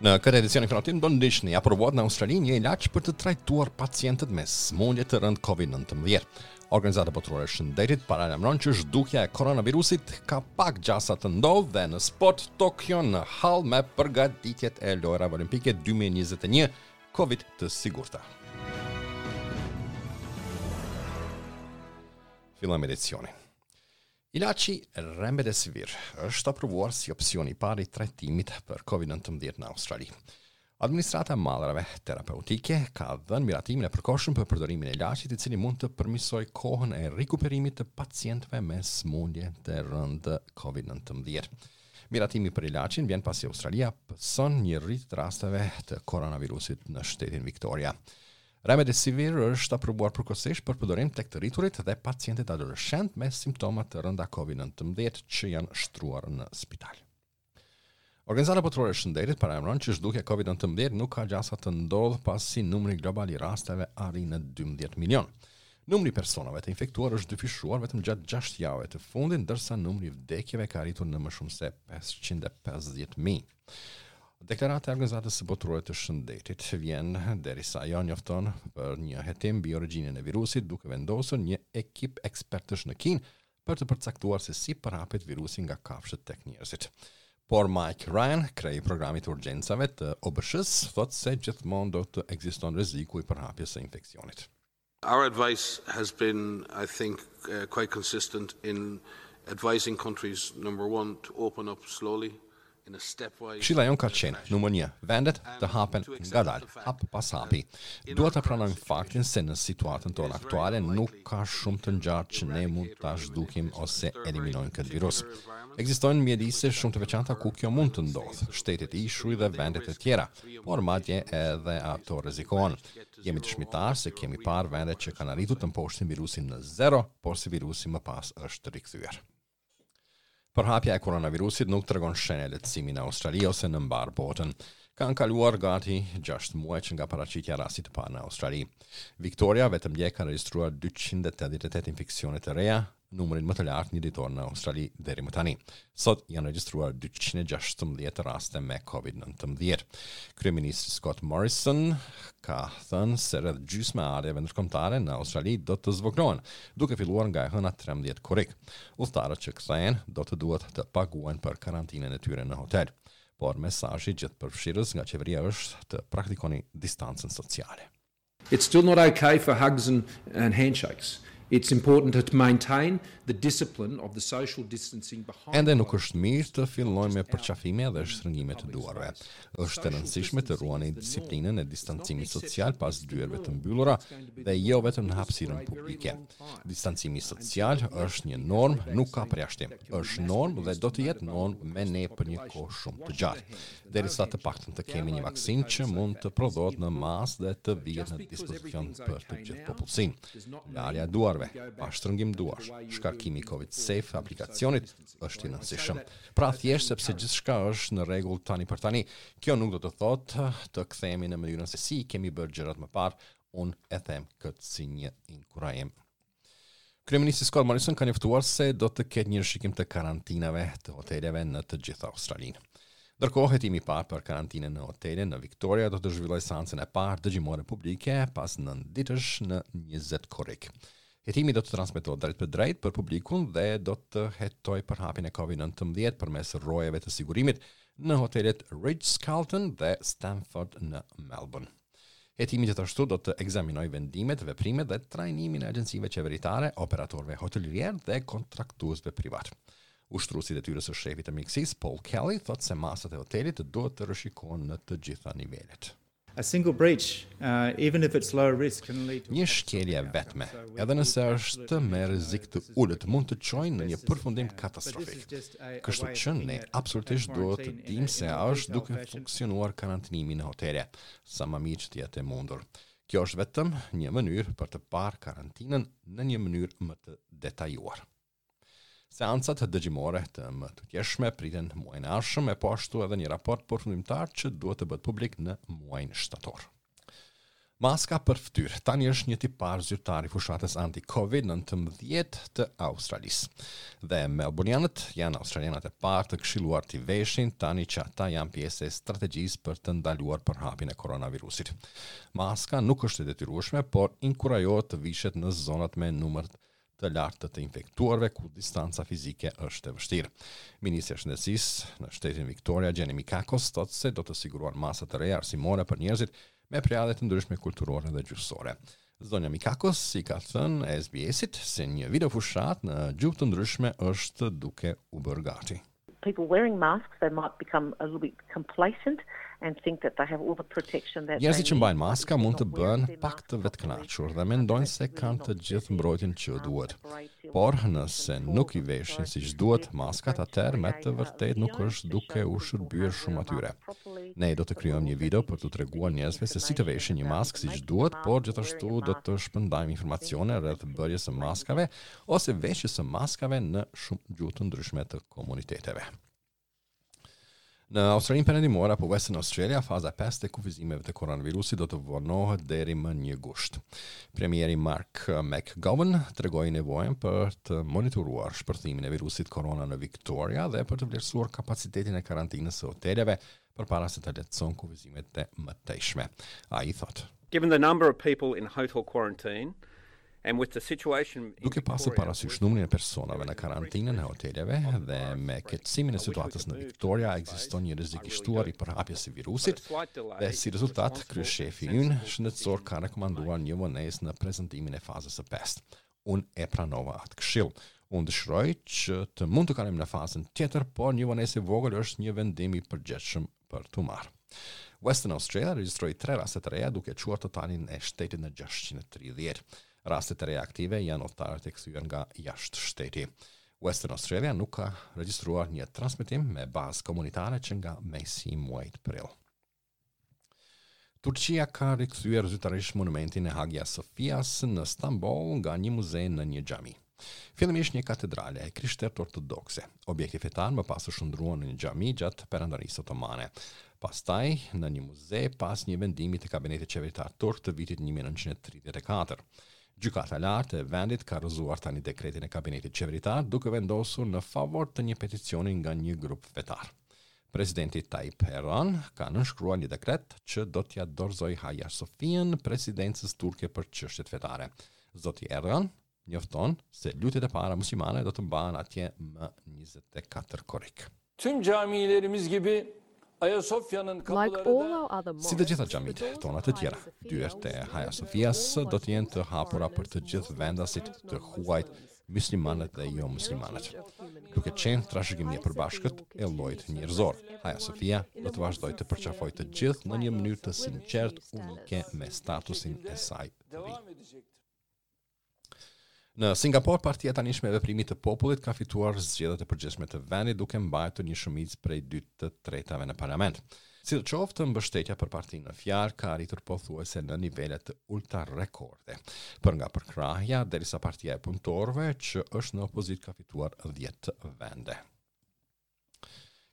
Në këtë edicion informativ do ndiqni aprovohet në Australi një ilaç për të trajtuar pacientët me sëmundje të rëndë COVID-19. Organizata Botërore e Shëndetit paralajmëron që zhdukja e koronavirusit ka pak gjasa të ndodhë dhe në sport Tokyo në hall me përgatitjet e Lojërave Olimpike 2021 Covid të sigurta. Fillojmë edicionin. Ilaçi Remdesivir është aprovuar si opsioni i parë i trajtimit për COVID-19 në Australi. Administrata e mallrave terapeutike ka dhënë miratimin e përkohshëm për përdorimin e ilaçit, i cili mund të përmirësojë kohën e rikuperimit të pacientëve me sëmundje të rëndë COVID-19. Miratimi për ilaçin vjen pasi Australia pëson një rritje të rasteve të koronavirusit në shtetin Victoria. Remdesivir është aprovuar përkohësisht për përdorim tek të rriturit dhe pacientët adoleshentë me simptoma të rënda COVID-19 që janë shtruar në spital. Organizata Botërore e Shëndetit paralajmëron që zhdukja e COVID-19 nuk ka gjasa të ndodhë pasi numri global i rasteve arrin në 12 milion. Numri i personave të infektuar është dyfishuar vetëm gjatë 6 javëve të fundit, ndërsa numri i vdekjeve ka arritur në më shumë se 550.000. Deklarata e Organizatës së Botërore të Shëndetit vjen derisa ajo njofton për një hetim mbi origjinën e virusit, duke vendosur një ekip ekspertësh në Kinë për të përcaktuar se si përhapet virusi nga kafshët tek njerëzit. Por Mike Ryan, kreu i programit të urgjencave të OBSH-së, thotë se gjithmonë do të ekziston rreziku i përhapjes së infeksionit. Our advice has been, I think, uh, quite consistent in advising countries, number one, to open up slowly in a stepwise Këshilla jonë ka qenë, numër 1, vendet të hapen ngadalë, hap pas hapi. Duhet të pranojmë faktin se në situatën tonë aktuale nuk ka shumë të ngjarë që ne mund ta zhdukim ose eliminojmë këtë virus. Ekzistojnë mjedise shumë të veçanta ku kjo mund të ndodhë, shtetet ishuj dhe vendet e tjera, por madje edhe ato rrezikohen. Jemi dëshmitar se kemi parë vende që kanë arritur të mposhtin virusin në zero, por se virusi më pas është rikthyer. Përhapja e koronavirusit nuk tregon shenja lehtësimi në Australi ose në mbarë botën. Kanë kaluar gati 6 muaj që nga paraqitja e rastit të parë në Australi. Victoria vetëm dje ka regjistruar 288 infeksione të reja, numrin më të lartë një ditor në Australi deri më tani. Sot janë regjistruar 216 raste me COVID-19. Kryeministri Scott Morrison ka thënë se rreth gjysma e ardhjeve ndërkombëtare në Australi do të zvogëlohen, duke filluar nga e hëna 13 korrik. Udhëtarët që kthehen do të duhet të paguajnë për karantinën e tyre në hotel. Por mesazhi gjithëpërfshirës nga qeveria është të praktikoni distancën sociale. It's still not okay for hugs and, and handshakes. It's important to maintain the discipline of the social distancing behind Ende nuk është mirë të fillojmë me përqafime dhe shtrëngime të duarve. Është e rëndësishme të ruani disiplinën e distancimit social pas dyerve të mbyllura dhe jo vetëm në hapësirën publike. Distancimi social është një normë, nuk ka përjashtim. Është normë dhe do të jetë normë me ne për një kohë shumë të gjatë. derisa të paktën të kemi një vaksinë që mund të prodhohet në masë dhe të vihet në dispozicion për të gjithë popullsinë. Larja e duarve, pa shtrëngim duarsh, shkarkimi i Covid Safe aplikacionit është i rëndësishëm. Pra thjesht sepse gjithçka është në rregull tani për tani, kjo nuk do të thotë të kthehemi në mënyrën se si i kemi bërë gjërat më parë, unë e them këtë si një inkurajim. Kryeministri Scott Morrison ka njoftuar se do të ketë një rishikim të karantinave të hoteleve në të gjithë Australinë. Ndërkohë, hetimi i parë për karantinën në hotele në Victoria do të zhvillojë seancën e parë dëgjimore publike pas 9 ditësh në 20 korrik. Hetimi do të transmetohet drejtpërdrejt për publikun dhe do të hetojë përhapjen e COVID-19 përmes rojeve të sigurimit në hotelet Ritz-Carlton dhe Stamford në Melbourne. Hetimi gjithashtu do të ekzaminojë vendimet, veprimet dhe trajnimin e agjencive qeveritare, operatorëve hotelierë dhe kontraktuesve privat. Ushtruesi i detyrës së shefit të mjekësisë, Paul Kelly, thotë se masat e hotelit duhet të rishikohen në të gjitha nivelet. A single breach, uh, even if it's low risk, can lead to Një shkelje e vetme, edhe nëse është me rrezik të ulët, mund të çojë në një përfundim katastrofik. Kështu që ne absolutisht duhet të dimë se a është duke funksionuar karantinimi në hotele, sa më mirë që të jetë e mundur. Kjo është vetëm një mënyrë për të parë karantinën në një mënyrë më të detajuar. Seancat dëgjimore të mëtutjeshme priten muajin e ardhshëm e po ashtu edhe një raport përfundimtar që duhet të bëhet publik në muajin shtator. Maska për fytyrë tani është një tipar zyrtar i fushatës anti-Covid-19 të Australisë. Dhe Melburnianët janë australianët e parë të këshilluar t'i veshin tani që ata janë pjesë e strategjisë për të ndaluar përhapjen e koronavirusit. Maska nuk është e detyrueshme, por inkurajohet të vishet në zonat me numër të lartë të të infektuarve ku distanca fizike është e vështirë. Ministrja e Shëndetësisë në shtetin Victoria, Jenny Mikakos, thotë se do të sigurohen masa të reja arsimore për njerëzit me prejardhje të ndryshme kulturore dhe gjuhësore. Zonja Mikakos i ka thënë SBS-it se një video fushatë në gjuhë të ndryshme është duke u bërë gati. People wearing masks, they might become a little bit complacent and think that they have all the protection that they need. Njerëzit që mbajnë maska mund të bëhen pak të vetëkënaqur dhe mendojnë se kanë të gjithë mbrojtjen që u duhet. Por, nëse nuk i veshin siç duhet maskat, atëherë me të vërtetë nuk është duke u shërbyer shumë atyre. Ne do të krijojmë një video për t'u treguar njerëzve se si të veshin një maskë siç duhet, por gjithashtu do të shpërndajmë informacione rreth bërjes së maskave ose veshjes së maskave në shumë gjuhë të ndryshme të komuniteteve. Në Australinë Perëndimore apo Western Australia, faza 5 e kufizimeve të koronavirusit do të vonohet deri më 1 gusht. Premieri Mark McGowan tregoi nevojën për të monitoruar shpërthimin e virusit korona në Victoria dhe për të vlerësuar kapacitetin e karantinës së hoteleve përpara se të lehtëson kufizimet e mëtejshme. Ai thotë: Given the number of people in hotel quarantine and with the situation Duke pasur parasysh numrin e personave në karantinën e hoteleve dhe me keqësimin e situatës në Victoria, ekziston një rrezik i shtuar i përhapjes së virusit dhe si rezultat, kryeshefi ynë shëndetësor ka rekomanduar një vonesë në prezantimin e fazës së pestë. Unë e pranova atë këshillë. Unë dëshiroj që të mund të kalojmë në fazën tjetër, por një vonesë e vogël është një vendim i përgjegjshëm për t'u marrë. Western Australia regjistroi 3 raste të reja duke çuar totalin e shtetit në 630. Rastet e reja aktive janë udhëtarët e kthyer nga jashtë shteti. Western Australia nuk ka regjistruar një transmetim me bazë komunitare që nga mesi i muajit prill. Turqia ka rikthyer zyrtarisht monumentin e Hagia Sofias në Stamboll nga një muze në një xhami. Fillimisht një katedrale e krishterë ortodokse. Objekti fetar më pas u shndërrua në një xhami gjatë Perandorisë Otomane. Pastaj në një muze pas një vendimi të kabinetit qeveritar turk të vitit 1934. Gjykata e Lartë e vendit ka rrëzuar tani dekretin e kabinetit qeveritar duke vendosur në favor të një peticioni nga një grup fetar. Presidenti Tayyip Erdogan ka nënshkruar një dekret që do t'ia dorëzojë Hagia Sofian presidencës turke për çështjet fetare. Zoti Erdogan njofton se lutjet e para muslimane do të mbahen atje më 24 korrik. Tüm camilerimiz gibi Ayasofya'nın Like kapıları all da our other Si të gjitha mosques, the xhamitë doors tona of të Hagia tjera, Sophia dyert e will Hagia open Sofias all do të jenë të Muslims hapura për and të gjithë vendasit, non-Muslims, të huajt, being the muslimanët dhe common jo muslimanët. heritage of humankind. Duke qenë trashëgimi e Hagia Sophia përbashkët will e llojit continue to njerëzor, embrace Hagia everyone Sophia in do a të more vazhdojë të sincere, përqafojë të unique gjithë në një way mënyrë të with sinqertë, new unike standards. me statusin e şekilde saj të ri. devam edecektir. Në Singapor, partia e tanishme e veprimit të popullit ka fituar zgjedhjet e përgjithshme të vendit duke mbajtur një shumicë prej 2 të tretave në parlament. Sidoqoftë, mbështetja për partinë në fjalë ka arritur pothuajse në nivele të ulta rekorde. Për nga përkrahja, derisa partia e punëtorëve që është në opozitë ka fituar 10 vende.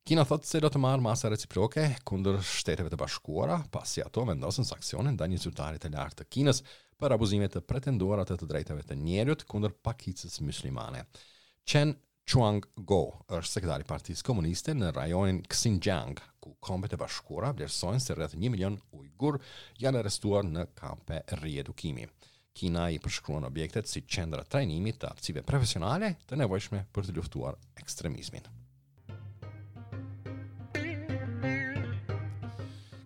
Kina thotë se do të marrë masa reciproke kundër Shteteve të Bashkuara, pasi ato vendosën sanksione ndaj një zyrtari të lartë të Kinës për abuzime të pretenduara të të drejtave të njerëzit kundër pakicës muslimane. Chen Chuang-go është sekretari i Partisë Komuniste në rajonin Xinjiang, ku Kombet e Bashkuara vlerësojnë se rreth 1 milion ujgur janë arrestuar në kampe riedukimi. Kina i përshkruan objektet si qendra trajnimi të aftësive profesionale të nevojshme për të luftuar ekstremizmin.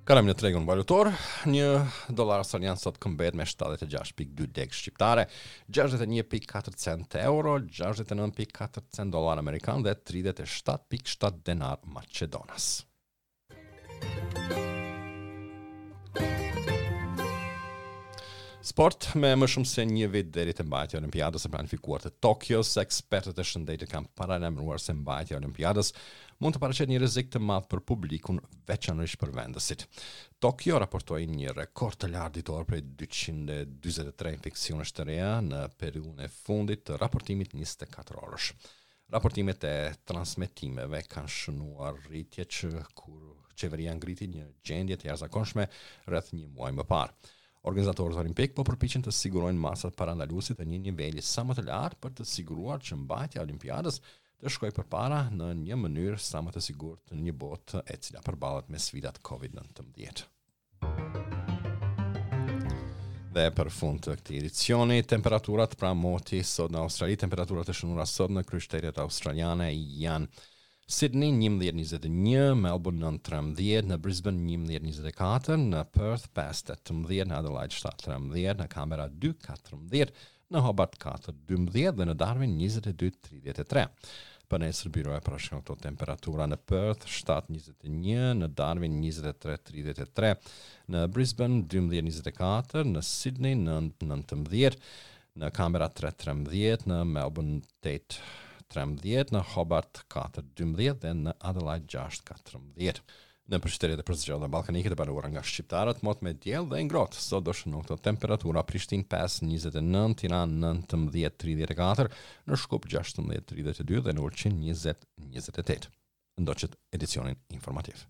Kalojmë në tregun valutor, një dollar australian sot këmbet me 76.2 lekë shqiptare, 61.4 cent euro, 69.4 cent dollar amerikan dhe 37.7 denar macedonas. Sport me më shumë se një vit deri te mbajtja e Olimpiadës së planifikuar të Tokios, ekspertët e shëndetit kanë paralajmëruar se mbajtja e Olimpiadës mund të paraqet një rrezik të madh për publikun, veçanërisht për vendësit. Tokyo raportoi një rekord të lartë ditor prej 243 infeksionesh të reja në periudhën e fundit të raportimit 24 orësh. Raportimet e transmetimeve kanë shënuar rritje që kur qeveria ngriti një gjendje të jashtëzakonshme rreth një muaj më parë. Organizatorët olimpikë po përpiqen të sigurojnë masat parandaluese të një niveli sa më të lartë për të siguruar që mbajtja e Olimpiadës të shkojë përpara në një mënyrë sa më të sigurt në një botë e cila përballet me sfidat COVID-19. Dhe për fund të këtij edicioni, temperaturat pra moti sot në Australi, temperaturat e shënuara sot në kryeqytetet australiane janë Sydney 11.21, Melbourne 9.13, në Brisbane 11.24, në Perth 5.18, në Adelaide 7.13, në Canberra 2.14, në Hobart 4.12 dhe në Darwin 22.33. Për nesër byroja parashikon këto temperatura në Perth 7.21, në Darwin 23.33, në Brisbane 12.24, në Sydney 9.19, në Canberra 3.13, në Melbourne 8.13, në Hobart 4.12 dhe në Adelaide 6.14. Në qytetet e përzgjedhura ballkanike të banuara nga shqiptarët, mot me diell dhe ngrohtë. Sot do shënojnë këto temperatura Prishtinë 5.29, Tiranë 19.34, në Shkup 16.32 dhe në Ulqin 20.28. Ndoqët edicionin informativ.